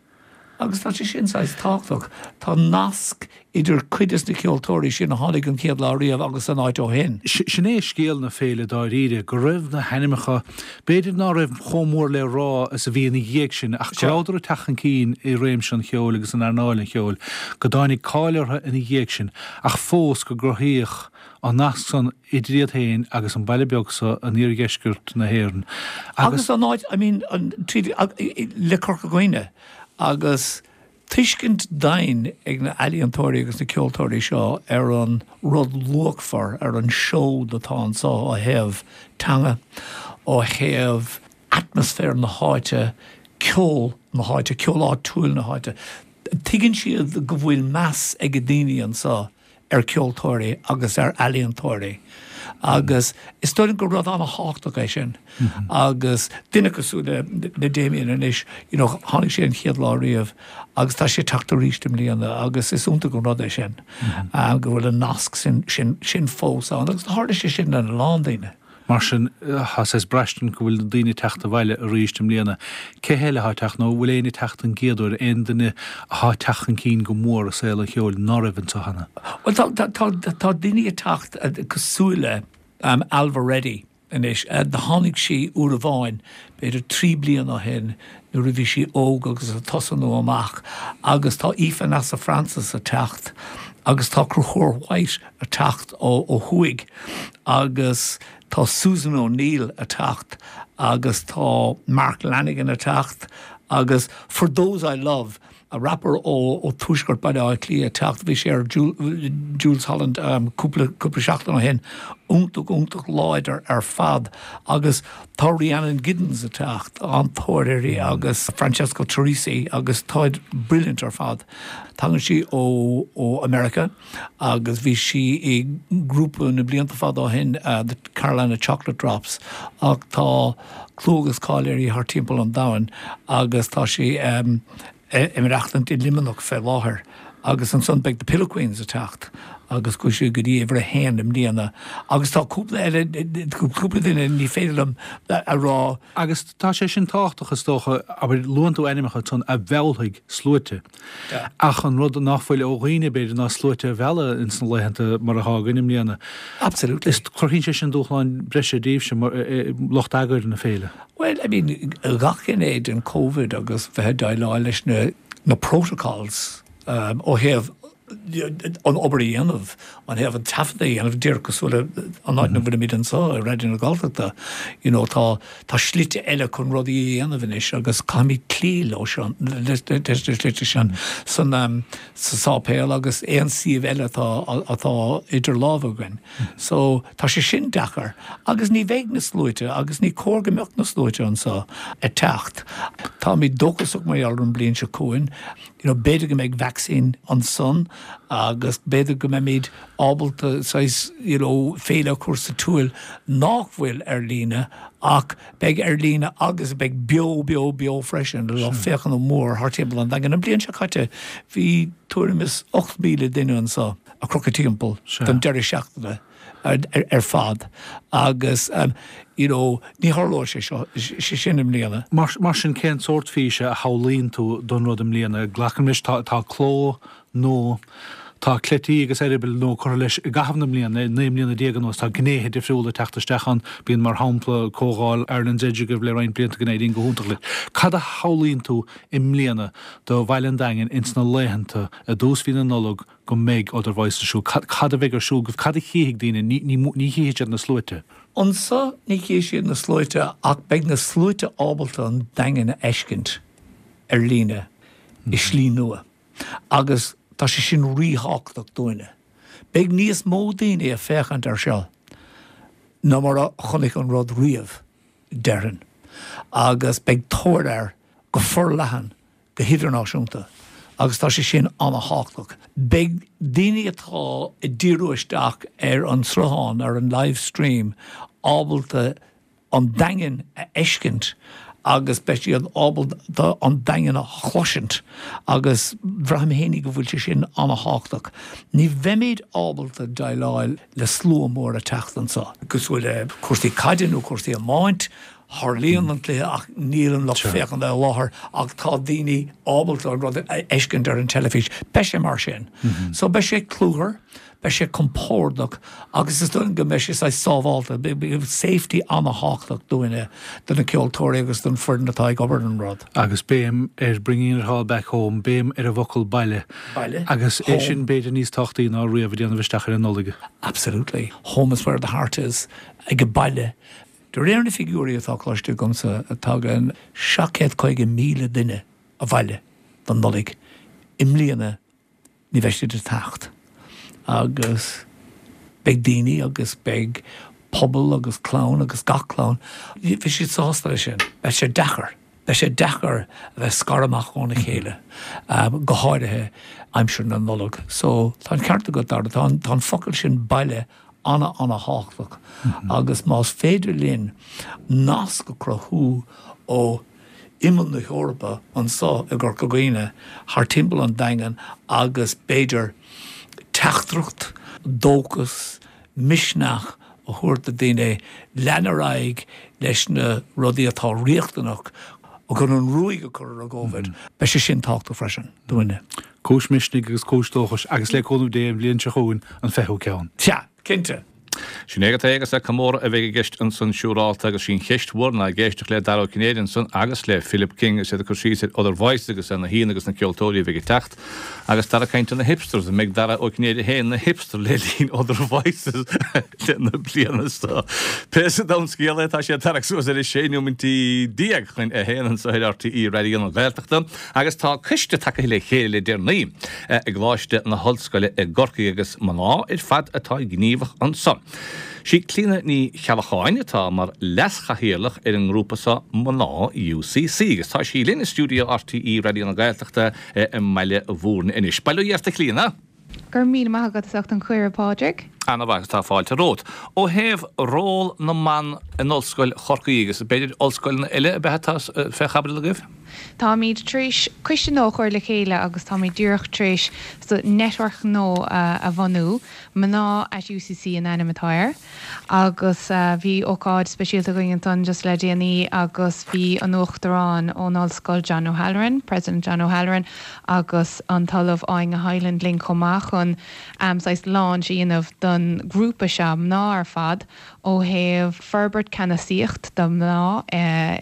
Agus tá sé sin saghas tábhachtach. Tá nasc idir cuid des na ceoltóirí sin a tháinig an chéad lá riamh agus an áit ó shin. Sin é scéal na féile dáiríre, go raibh na hainmneacha, b'fhéidir ná raibh chomh mór le rá is a bhí ina dhiaidh sin, ach go rabhadar ag teacht chun cinn i réimse an cheoil agus in earnáil an cheoil, go dtáinig cáil orthu ina dhiaidh sin, ach fós go gcruthaíodh an nasc san idir iad féin agus an baile beag so in iardheisceart na hÉireann. Agus an áit, I mean, an, tríd, le Corca Dhuibhne. Agus tuiscint domhain ag na ealaíontóirí agus na ceoltóirí seo ar an rud luachmhar, ar an seod atá anseo ó thaobh teanga, ó thaobh atmaisféar na háite, ceol na háite, ceol áitiúil na háite. Tuigeann siad go bhfuil meas ag daoine anseo ar ceoltóirí agus ar ealaíontóirí agus is dóigh liom gur rud an-thábhachtach é sin agus duine cosúil le le Damien anois, you know, tháinig sé an chéad lá riamh agus tá sé ag teacht arís i mbliana agus is iontach an rud é sin go bhfuil an nasc sin sin sin fós ann agus tharla sé sin lena lán daoine. Mar sin, tá saghas braistint go bhfuil na daoine ag teacht abhaile arís i mbliana. Cé heile atá ag teacht nó bhfuil éinne ag teacht an gcéad uair, aon duine atá ag teacht chun cinn go mór i saol an cheoil ná raibh anseo cheana? Bhuel, tá, tá, tá, tá daoine ag teacht cosúil le Ailbhe Reddy anois. Tháinig sí uair amháin, b'fhéidir trí bliana ó shin, nuair a bhí sí óg agus ag tosnú amach agus tá Aoife Neasa Francis ag teacht agus tá Conchúr White ag teacht ó ó thuaidh agus tá Susan O'Neill ag teacht agus tá Mark Lanegan ag teacht agus For Those I Love, a rapper ó ó tuaisceart Baile Átha Cliath ag teacht, bhí sé ar Jools Holland cúpla cúpla seachtain ó shin, iontach iontach láidir ar fad agus tá Rhiannon Giddens ag teacht, an-tóir uirthi agus Francesca Turrisi agus táid brilliant ar fad. Tagann sí ó ó America agus bhí sí i ngrúpa na blianta fada ó shin, The Carolina Chocolate Drops, ach tá clú agus cáil uirthi thar timpeall an domhain agus tá sí ag maireachtaint i Luimneach fé láthair agus ansan beidh The Pillow Queens ag teacht agus chuaigh siad go dtí uimhir a haon i mbliana agus tá cúpla eile, cúpla duine ní féidir liom a rá. Agus tá sé sin tábhachtach is dócha, abair, luann tú ainmneacha ansan a mheallfaidh sluaite. Ach an rud nach bhfuil ó dhaoine b'fhéidir ná sluaite a mhealladh ins na laethanta mar atá againn i mbliana. Absolutely. Is cruthaíonn sé sin dúshlán breise daoibhse mar lucht eagair na féile. Well, I mean, gach gné den Covid agus bheith ag déileáil leis na na protocols ó thaobh an obair a dhéanamh, ó thaobh an taifead a dhéanamh, díreach cosúil le an áit ina bhfuilimid anseo i Raidió na Gaeltachta, you know, tá tá slite eile chun rudaí a dhéanamh anois agus caithfimid cloí leo sin, leis na slite sin san sa sáipéal agus aon suíomh eile atá atá idir lámha againn. So tá sé sin deacair agus ní bheidh na sluaite agus ní cóir go mbeadh na sluaite anseo ag teacht. Táimid dóchasach mar gheall ar an mbliain seo chugainn. You know, b'fhéidir go mbeidh vacsaín ansan agus b'fhéidir go mbeimid ábalta saghas, you know, féile a chur sa tsiúl nach bhfuil ar líne ach beidh ar líne agus beidh beo, beo, beo freisin le lucht féachana mór thart timpeall an Daingin. An bhliain seo caite bhí tuairim is ocht míle duine anseo ag crochadh timpeall don deireadh seachtaine ar fad agus you know ní tharlóidh sé seo sé sin i mbliana. Mar mar sin cén sórt físe a shamhlaíonn tú don rud i mbliana? Glacaim leis tá tá cló nua, tá cleití agus eireabaill nua curtha leis i gcaitheamh na mbliana, naoi mbliana déag anuas tá gnéithe difriúla ag teacht isteach ann, bíonn mar shampla comhdháil Ireland's Edge agaibh le roinnt blianta go n-éiríonn go hiontach leis. Cad a shamhlaíonn tú i mbliana do bhaile an Daingin ins na laethanta i dtús mhí na Nollag go mbeidh Other Voices ar siúl? Cad cad a bheidh ar siúl agaibh? Cad a chífidh daoine? Ní ní ní chífidh siad na sluaite. Anseo ní chífidh siad na sluaite ach beidh na sluaite ábalta an Daingean a fheiscint ar líne i slí nua agus tá sé sin ríthábhachtach dúinne. Beidh níos mó daoine ag féachaint air seo ná mar a chonaic an rud riamh, déarfainn, agus beidh tóir air go forleathan go hidirnáisiúnta agus tá sé sin an-thábhachtach. Beidh daoine atá ag díriú isteach ar an sruthán, ar an live stream, ábalta an Daingean a fheiscint agus beidh siad ábalta an Daingean a chloisint agus braithim fhéinig go bhfuil sé sin an-thábhachtach. Ní bheimid ábalta déileáil le slua mór ag teacht anseo, cosúil le cúrsaí caide nó cúrsaí iomáint, Tarlaíonn an cluiche ach níl an lucht féachana i láthair ach tá daoine ábalta an rud a fheiscint ar an teilifís. Beidh sé mar sin. So beidh sé cluthar, beidh sé compordach agus is dóigh liom go mbeidh sé saghas sábhálta. Beidh safety an-thábhachtach dúinne, do na ceoltóirí agus don foireann atá ag obair ar an rud. Agus béim ar bringing it all back home, béim ar an bhfocal baile. Baile. Agus é sin b'fhéidir níos tábhachtaí ná riamh ag déanamh isteach ar an Nollaig. Absolutely. Home is where the heart is. Ag baile. De réir na figiúirí atá cloiste agamsa, tagann seacht gcéad caoga míle duine abhaile don Nollaig i mbliana, ní bheidh siad ag teacht agus beidh daoine agus beidh pobal agus clann agus gach clann, beidh siad sásta leis sin. Beidh sé deacair, beidh sé deacair a bheith scartha amach óna chéile, go háirithe aimsir na Nollag. So tá an ceart agat, Dara, tá an focal sin baile ana-ana-thábhachtach agus más féidir linn nasc a chruthú ó imeall na hEorpa anso i gCorca Dhuibhne thar timpeall an Daingean agus b'fhéidir teachtaireacht, dóchas, misneach a thabhairt do daoine lean ar aghaidh leis na rudaí atá riachtanach chun an ruaig a chur ar an gCovid, beidh sé sin tábhachtach freisin dúinne. Cúis misnigh agus cúis dóchais agus le cúnamh Dé an bhliain seo chugainn an fichiú ceann. Sea, cinnte. Sin é agat é agus comóradh a bheidh i gceist ansan siúrálta agus sí an cheist mhór ná ag éisteacht le Dara Ó Cinnéide ansan agus le Philip King is iad ag cur síos ar Other Voices agus ar na haíonna agus na ceoltóirí a bheidh ag teacht agus Dara ag caint ar na hipsters. An mbeidh Dara Ó Cinnéide féin ina hipster le linn Other Voices na bliana seo? Pé sa domhan scéal é tá sé ag tarrac suas ar a sé nóimintí déag chun a haon anso ar RTÉ Raidió na Gaeltachta agus tá coiste tagtha le chéile le deireanaí i gColáiste na hOllscoile i gCorcaigh agus mná ar fad atá gníomhach anso. Sí Clíona Ní Cheallacháin atá mar leaschathaoirleach ar an ngrúpa seo Mná UCC agus tá sí linn i stiúideo RTÉ Raidió na Gaeltachta i mBaile Mhúirne anois. Bail ó Dhia ort a Chlíona! Go raibh míle maith agat as ucht an cuireadh, a Phádraig. Ana mhaith agus tá fáilte romhat. Ó thaobh ról na mban in Ollscoil Chorcaí agus b'fhéidir ollscoileanna eile ab ea atá fé chaibidil agaibh? Táimid tar éis coiste nua a chur le chéile agus táimid díreach tar éis network nua a bhunú, Mná at UCC an ainm atá air, agus bhí ócáid speisialta againn ansan just le déanaí agus bhí an Uachtarán ón Ollscoil John O'Halloran, President John O'Halloran, agus an tOllamh Áine Hyland linn chomh maith chun saghas launch a dhéanamh don ghrúpa seo, mná ar fad, ó thaobh forbairt ceannasaíocht do mhná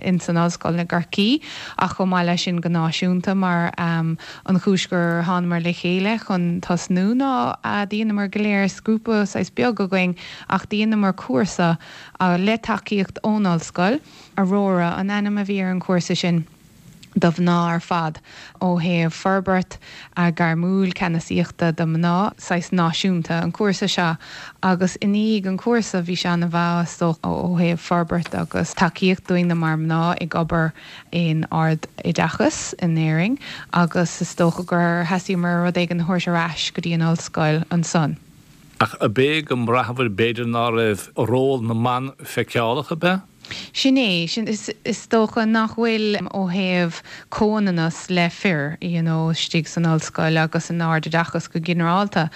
ins an ollscoil i gCorcaigh ach chomh maith leis sin go náisiúnta mar an chúis gur thánamar le chéile chun tosnú ná dheineamar go léir is grúpa saghas beag againn ach dheineamar cúrsa le tacaíocht ón ollscoil, Aurora an ainm a bhí ar an chúrsa sin. do mhná ar fad ó thaobh forbairt gairmiúil ceannasaíochta do mhná, saghas náisiúnta, an cúrsa seo agus i ndiaidh an cúrsa bhí sé ana-mhaith is dócha ó thaobh forbairt agus tacaíocht dúinne mar mná ag obair in ard-oideachas in Éirinn agus is dócha gur theastaíomar rud éigin a thabhairt ar ais go dtí an ollscoil ansan. Ach ab é go mbraitheabhair b'fhéidir ná raibh ról na mban feiceálach, ab ea? Sin é, sin, is dócha nach bhfuil ó thaobh comhionannas le fir, you know, istigh san ollscoil agus san ardoideachas go ginearálta,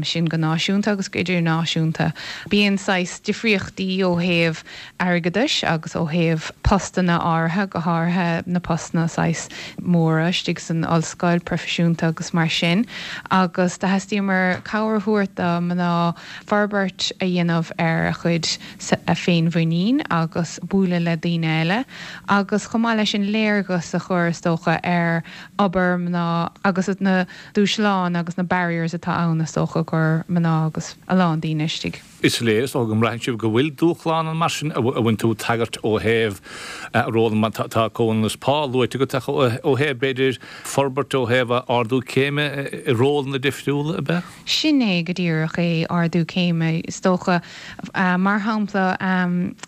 sin go náisiúnta agus go idirnáisiúnta. Bíonn saghas difríochtaí ó thaobh airgeadais agus ó thaobh postanna áirithe, go háirithe na postanna saghas móra istigh san ollscoil, proifisiúnta agus mar sin, agus do theastaíomar cabhair a thabhairt do mná forbairt a dhéanamh ar a chuid féinmhuinín agus bualadh le daoine eile agus chomh maith leis sin léargas a chur is dócha ar obair mná agus na dúshláin agus na barriers atá ann is dócha do mná agus a lán daoine istigh. Is léir is dócha go mbraitheann sibh go bhfuil dúshlán ann mar sin a bhain tú tagairt ó thaobh ról na mban, tá comhionannas pá luaite agat ach ó thaobh b'fhéidir forbairt ó thaobh ardú céime i rólanna difriúla ab ea? Sin é go díreach é, ardú céime is dócha. Mar shampla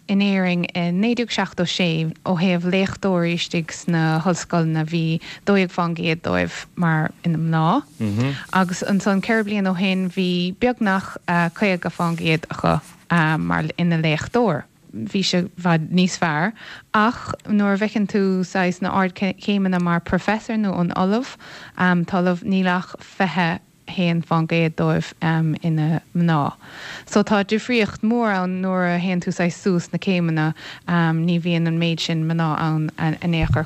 in Éirinn i naoi déag seachtó sé ó thaobh léachtóirí istigh sna hollscoileanna bhí dó dhéag fán gcéad dóibh mar ina mná agus ansan ceithre bliana ó shin bhí beagnach caoga fán gcéad acu mar ina léachtóir. Bhí sé i bhfad níos fearr ach nuair a bhfeiceann tú saghas na ardchéimeanna mar professor nó an ollamh, t-ollamh, níl ach fiche haon fán gcéad dóibh ina mná. So tá difríocht mór ann nuair a théann tú saghas suas na céimeanna, ní bhíonn an méid sin mná ann in aon chor.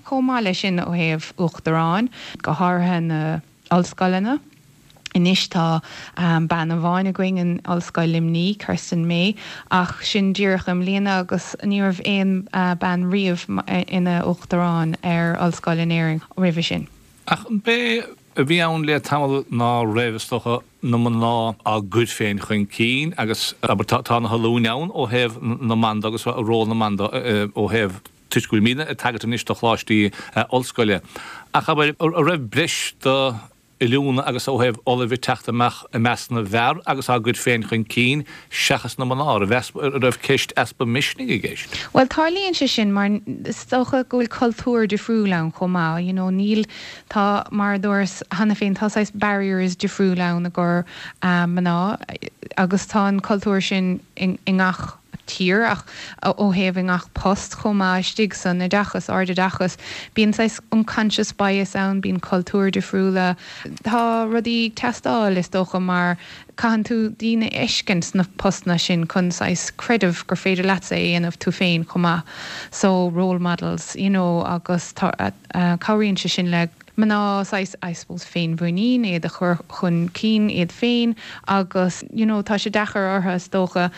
Chomh maith leis sin ó thaobh uachtaráin, go háirithe na ollscoileanna, anois tá bean amháin againn in Ollscoil Luimnigh, Kirsten May, ach sin díreach i mbliana agus ní raibh aon bean riamh ina uachtarán ar ollscoil in Éirinn roimhe sin. Ach an b'é a bhí ann le tamall ná raibh, is dócha, na mná á gcur féin chun cinn agus, abair, tá na hoiliúint ann ó thaobh na mban de agus ról na mban de ó thaobh, toisc go bhfuilimidne ag tagairt anois do choláistí ollscoile. Ach, abair, an raibh breis do oiliúna agus ó thaobh ollaimh ag teacht amach i measc na bhfear agus á gcur féin chun cinn seachas na mná, an raibh ceist easpa misnigh i gceist? Bhuel, tarlaíonn sé sin mar is dócha go bhfuil cultúr difriúil ann chomh maith, you know, níl, tá, mar a dúras cheana féin, tá saghas barriers difriúil ann i gcomhair mná agus tá an cultúr sin i ngach tír ach ó thaobh i ngach post chomh maith istigh san oideachas, ardoideachas, bíonn saghas unconscious bias ann, bíonn cultúir difriúla, tá rudaí ag teastáil is dócha mar caitheann tú daoine a fheiscint sna postanna sin chun saghas creideamh gur féidir leatsa é a dhéanamh tú féin chomh maith so role models you know agus tá cabhraíonn sé sin le mná saghas, I suppose, féinmhuinín, iad a chur chun cinn iad féin agus you know tá sé deacair orthu is dócha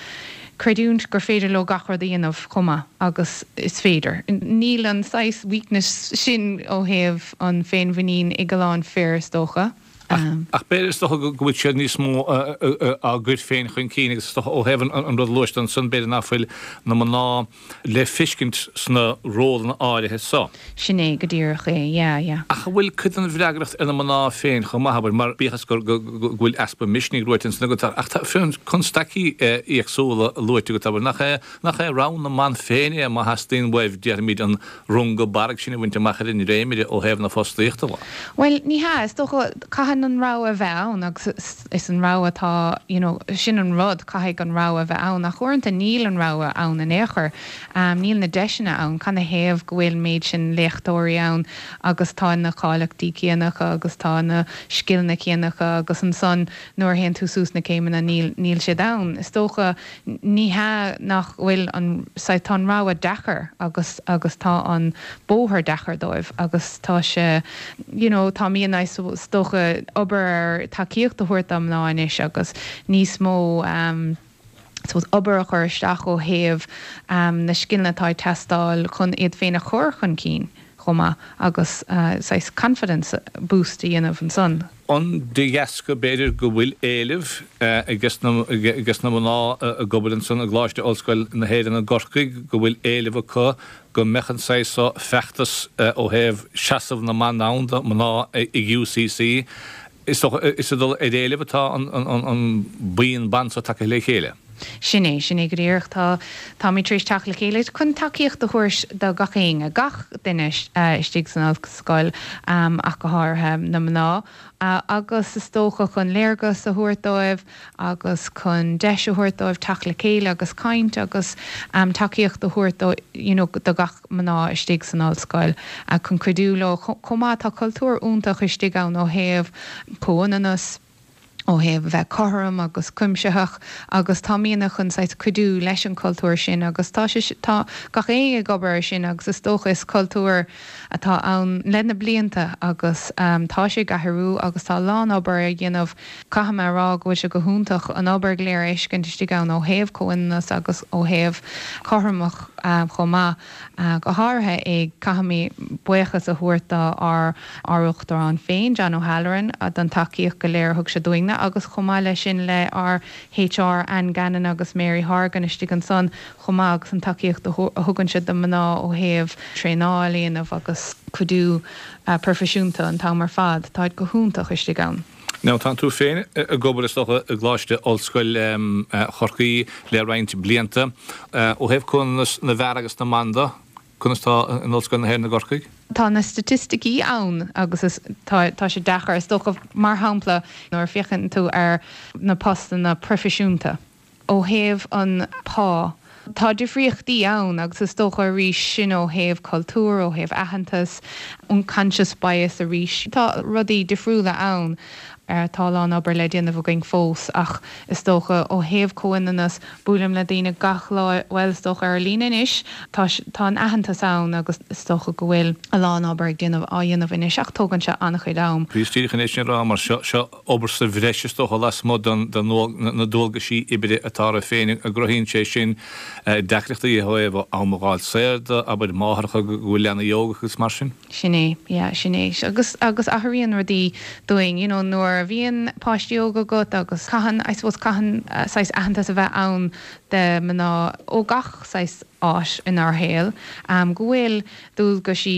creidiúint gur féidir leo gach rud a dhéanamh chomh maith agus is féidir. Níl an saghas weakness sin ó thaobh an féinmhuinín ag a lán fir is dócha. Ach b'fhéidir is dócha go bhfuil siad níos mó á gcur féin chun cinn agus is dócha ó thaobh an rud a luaigh tú ansan b'fhéidir nach bhfuil na mná le feiscint sna rólanna áirithe so. Sin é go díreach é, yeah, yeah. Ach an bhfuil cuid den bhfreagracht ar na mná féin chomh maith, abair, mar bíodh is go bhfuil easpa misnigh luaite ansan agat, ach tá constaicí éagsúla luaite agat, abair, nach é nach é rogha na mban féin é má theastaíonn uaibh, déarfaimid, an runga barraigh sin a bhaint amach ar an ndréimire ó thaobh na fostaíochta de? Bhuel, ní hea, is dócha, caitheann Caithfidh an rogha a bheith ann agus is an rogha atá, you know, sin an rud, caithfidh an rogha a bheith ann ach uaireanta níl an rogha ann in aon chor. Níl na deiseanna ann. Canathaobh go bhfuil méid sin léachtóirí ann agus tá na cáilíochtaí céanna acu agus tá na scileanna céanna acu agus ansan nuair a théann tú suas na céimeanna níl, níl siad ann. Is dócha, ní hea nach bhfuil an, saghas, tá an rogha deacair agus, agus tá an bóthar deacair dóibh agus tá sé, you know, tá mian is dócha obair ar tacaíocht a thabhairt do mná anois agus níos mó um, suppose obair a chur isteach ó thaobh um, na scileanna atá ag teastáil chun iad féin a chur chun cinn chomh maith agus uh, saghas confidence boost a dhéanamh ansan. An de dheasca b'fhéidir go bhfuil éileamh ages na mná ag obair ansan i gColáiste Ollscoil na hÉireann i gCorcaigh, go bhfuil éileamh acu go mbeadh an saghas so feachtas ó thaobh seasamh na mban ann do mná ag UCC. Is is ag dul ar éileamh atá an buíon ban so tagtha le chéile. Sin é, sin é go díreach. Tá, táimid tar éis teacht le chéile chun tacaíocht a thabhairt do gach éinne, gach duine istigh san ollscoil ach go háirithe na mná, agus is dócha chun léargas a thabhairt dóibh agus chun deis a thabhairt dóibh teacht le chéile agus caint agus tacaíocht a thabhairt do, you know, do gach mná istigh san ollscoil chun cuidiú leo. Chomh maith tá cultúr iontach istigh ann ó thaobh comhionannas, ó thaobh a bheith cothrom agus cuimsitheach agus táimidne chun saghas cuidiú leis an cultúr sin agus tá sé tá gach éinne ag obair ar sin agus is dócha is cultúr atá ann le na blianta agus tá sé ag athrú agus tá a lán obair á dhéanamh. Caithfidh mé a rá go bhfuil sé go hiontach an obair go léir a fheiscint istigh ann ó thaobh comhionannas agus ó thaobh cothromach chomh maith. Go háirithe ag caithfidh mé buíochas a thabhairt do ár ár Uachtarán féin, John O'Halloran, don tacaíocht go léir a thug sé dúinne agus chomh maith leis sin le ár HR Anne Gannon agus Mary Horgan istigh ansan chomh maith agus an tacaíocht a thugann siad do mná ó thaobh traenáil a dhéanamh agus cuidiú proifisiúnta an t-am ar fad. Táid go hiontach istigh ann. Now tá tú féin ag obair is dócha i gColáiste Ollscoil Chorcaí le roinnt blianta. Ó thaobh comhionannas na bhfear agus na mban de, conas tá in Ollscoil na hÉireann i gCorcaigh? Tá na staitisticí ann agus is tá tá sé deacair is dócha mar shampla nuair a féachann tú ar na postanna proifisiúnta ó thaobh an pá Tá difríochtaí ann agus is dócha arís sin ó thaobh cultúr, ó thaobh aitheantas, unconscious bias arís. Tá rudaí difriúla ann. Tá a lán obair le déanamh againn fós ach is dócha ó thaobh comhionannas, buailim le daoine gach lá, bhuel is dócha ar líne anois, tá tá an aitheantas ann agus is dócha go bhfuil a lán obair ag déanamh á dhéanamh anois ach tógann sé an-chuid am. Bhíos díreach chun é sin a rá mar seo seo obair sa bhreis is dócha lasmuigh den na dualgaisí oibre atá oraibh féin an gcruthaíonn sé sin deacrachtaí ó thaobh am a dh'fháil saor de, abair, máithreacha go bhfuil leanaí óga agus mar sin? Sin é, yeah, sin é. Agus agus athraíonn rudaí dúinn, you know, nuair a bhíonn páistí óga agat agus caitheann, I suppose, caitheann saghas aitheantas a bheith ann de mná ó gach saghas áit inár shaol, go bhfuil dualgaisí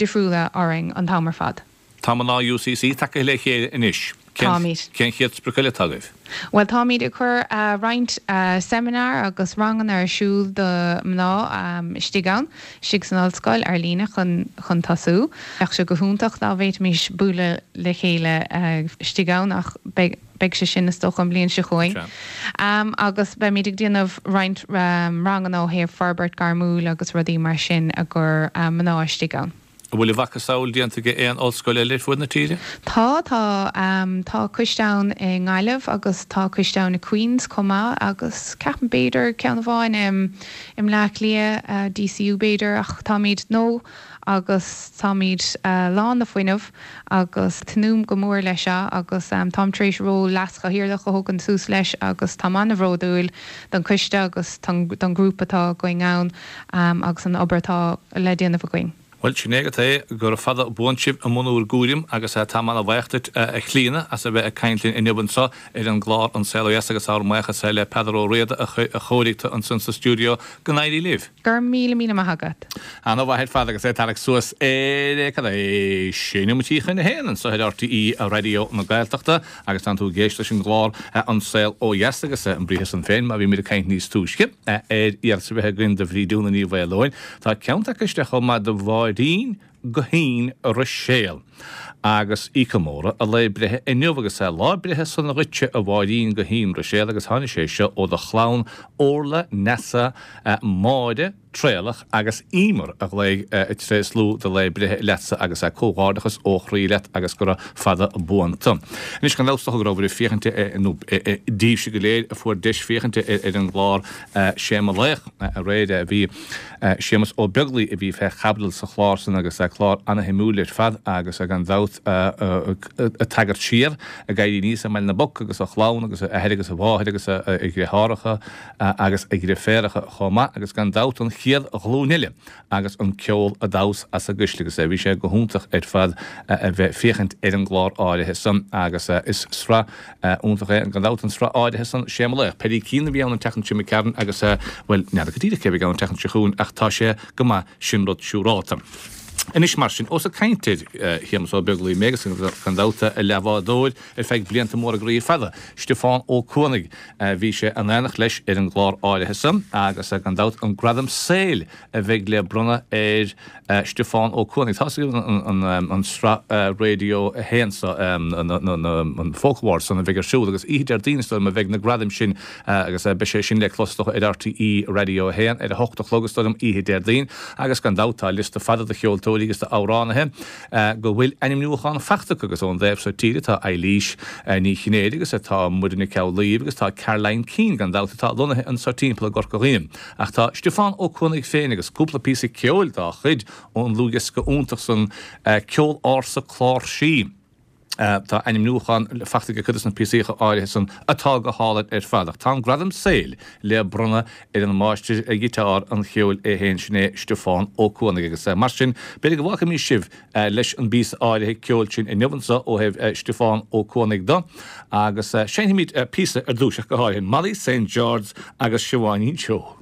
difriúla orainn an t-am ar fad. Tá mná UCC tagtha le chéile anois. Táimid. Cén chéad sprioc eile atá agaibh? Bhuel, táimid ag cur roinnt seimineár agus ranganna ar siúl do mná istigh ann, istigh san ollscoil, ar líne chun chun tosú. Bheadh sé go hiontach dá bhféadfaimis bualadh le chéile istigh ann ach beidh beidh sé sin is dócha an bhliain seo chugainn. Agus beimid ag déanamh roinnt ranganna ó thaobh forbairt gairmiúil agus rudaí mar sin i gcomhair mná istigh ann. An bhfuil a mhacasamhail déanta ag aon ollscoil eile ar fud na tíre? Tá, tá. Tá coiste ann i nGaillimh agus tá coiste ann i Queens chomh maith agus ceapaim b'fhéidir ceann amháin i mBleá Cliath, DCU b'fhéidir ach táimid, nó agus táimid lán de fuinneamh agus tnúth go mór leis seo agus táim tar éis ról leaschathaoirleach a thógaint suas leis agus táim an-bhródúil don choiste agus don ghrúpa atá againn ann agus an obair atá le déanamh againn. Bhuel, sin é agat é, gura fada buan sibh i mbun bhur gcúraim agus táim ana-bhaoch duit, a Chlíona, as a bheith ag caint linn inniu anseo ar an gclár An Saol Ó Dheas agus ár mbuíochas le Peadar Ó Riada a chóirigh tú ansan sa stiúideo. Go n-éirí libh! Go raibh míle míle maith agat. Ana-mhaith ar fad agus é ag tarraingt suas ar, cad é, sé nóiméidí chun a haon anseo ar RTÉ Raidió na Gaeltachta agus tánn tú ag éisteacht leis an gclár An Saol Ó Dheas agus an briathar san féin mar bhí muid ag caint níos túisce ar iarratas a bheith againn do Bhríd Úna Ní Mhaoileoin. Tá ceann tagtha isteach chomh maith do Mháirín Guithín Ruiséal agus í ag comóradh a lae breithe inniu agus lá breithe sona dhuitse a Mháirín Guithín Ruiséal agus tháinig sé seo ó do chlann Orla, Neasa, Máire, Traolach agus Emer a ghlaoigh ag tréaslú do lae breithe leatsa agus comhghairdeachas ó chroí leat agus gura fada buan tu. Anois gan dabht is dócha go rabhabhair ag féachaint nó daoibhse go léir a fuair deis féachaint ar an gclár Sé Mo Laoch aréir bhí Séamus Ó Beaglaoi a bhí fé chaibidil sa chlár san agus clár ana-shuimiúil ar fad agus gan dabht ag tagairt siar ag éirí aníos i mBaile na bPoc agus a chlann agus a athair agus a mháthair agus a dheartháireacha agus a dheirféaracha chomh maith agus gan dabht an chéad ghlúin eile agus an ceol a d'fhás as a gcuisle agus bhí sé go hiontach ar fad a bheith féachaint ar an gclár áirithe san agus is sraith iontach é gan dabht an sraith áirithe san Sé Mo Laoch. Paddy Keane a bhí ann an tseachtain seo imigh tharainn agus bhuel n'fheadar go díreach cé a bheidh ann an tseachtain seo chugainn ach tá sé go maith sin rud siúrálta. Anois mar sin, ós ag caint ar Shéamus Ó Beaglaoi mé agus gan dabht a leathbhádóir ar feadh blianta móra groí fada, Stiofán Ó Cuanaigh, bhí sé in éineacht leis ar an gclár áirithe san agus gan dabht an gradam saoil a bheidh le bronnadh ar Stiofán Ó Cuanaigh. Tá 'fhios agaibh an sraith Radio a haon so, an Folk Awards san a bheidh ar siúl agus oíche Déardaoin is dóigh liom a bheidh na gradaim sin agus beidh sé sin le clos is dócha ar RTÉ Radio a haon ar a hocht a chlog is dóigh liom oíche Déardaoin agus gan dabht tá liosta fada de cheoltóirí agus d'amhránaithe go bhfuil ainmniúchán faighte acu agus ón dtaobh seo tíre tá Eilís Ní Chinnéide agus tá Muireann Nic Amhlaoibh agus tá Caroline Keane gan dabht atá lonnaithe anso timpeall i gCorca Dhuibhne. Ach tá Stiofán Ó Cuanaigh féin agus cúpla píosa ceoil dá chuid ón ndlúthdhiosca iontach san Ceol Ársa Cláirsí. Tá ainmniúchán faighte aige cuid de na píosaíocha áirithe san atá go hálainn ar fad. Ach tá an gradam saoil le bronnadh ar an máistir giotáir an cheoil é féin, sin é Stiofán Ó Cuanaigh. Agus mar sin, b'fhéidir go bhfágfaimís sibh leis an bpíosa áirithe ceoil sin inniu anso ó thaobh Stiofán Ó Cuanaigh de. Agus seinnfimid píosa ar dtús ach go háirithe, Molly Saint George agus Siobháinín Seó.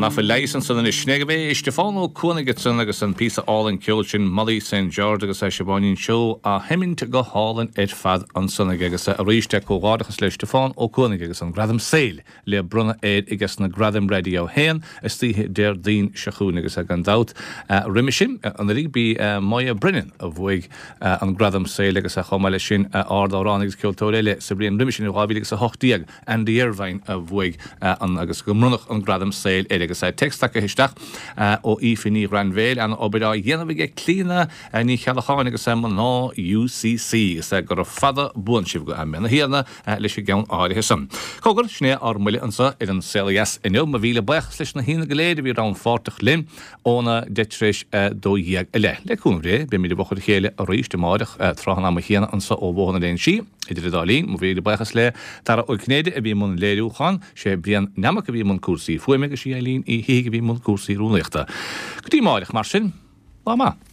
Nach bhfuil leigheas ansan anois. Sin é gurb é Stiofán Ó Cuanaigh ansan agus an píosa álainn ceoil sin Molly Saint George agus Siobháinín Seoighe á sheimint go hálainn ar fad ansan aige agus arís comhghairdeachas le Stiofán Ó Cuanaigh agus an Gradam Saoil le bronnadh air aige sna Gradaim Raidió a haon istoíche Déardaoin seo chugainn agus gan dabht roimhe sin anuraidh b'í Moya Brennan a bhuaigh an Gradam Saoil agus chomh maith leis sin ard-amhránaí agus ceoltóir eile sa bhliain roimhe sin in dhá mhíle agus a hocht déag Andy Irvine a bhuaigh an agus go mbronnadh an Gradam Saoil air agus téacs tagtha isteach ó Aoife Ní Ghrainbhéil an-obair á dhéanamh aige Clíona Ní Cheallacháin agus mná U C C agus gura fada buan sibh go mbeannaí Thiarna leis an gceann áirithe san. Cogar, sin é ár mbuille anseo ar An Saol Ó Dheas inniu. Mo mhíle buíochas leis na haíonna go léir a bhí rannpháirteach linn óna deich tar éis a dó dhéag i leith. Le cúnamh Dé, beimid i bhfochair a chéile arís amáireach tráth an ama chéanna anseo ó Bhóthar na Léinsí. Idir an dá linn, mo mhíle buíochas le Dara Ó Cinnéide a bhí i mbun léiriúcháin, sé Brian Nammock a bhí i mbun cúrsaí fuaime agus sí Eileen Uí Shíthigh a bhí i mbun cúrsaí rúnaíochta. Go dtí amáireach mar sin, lá maith.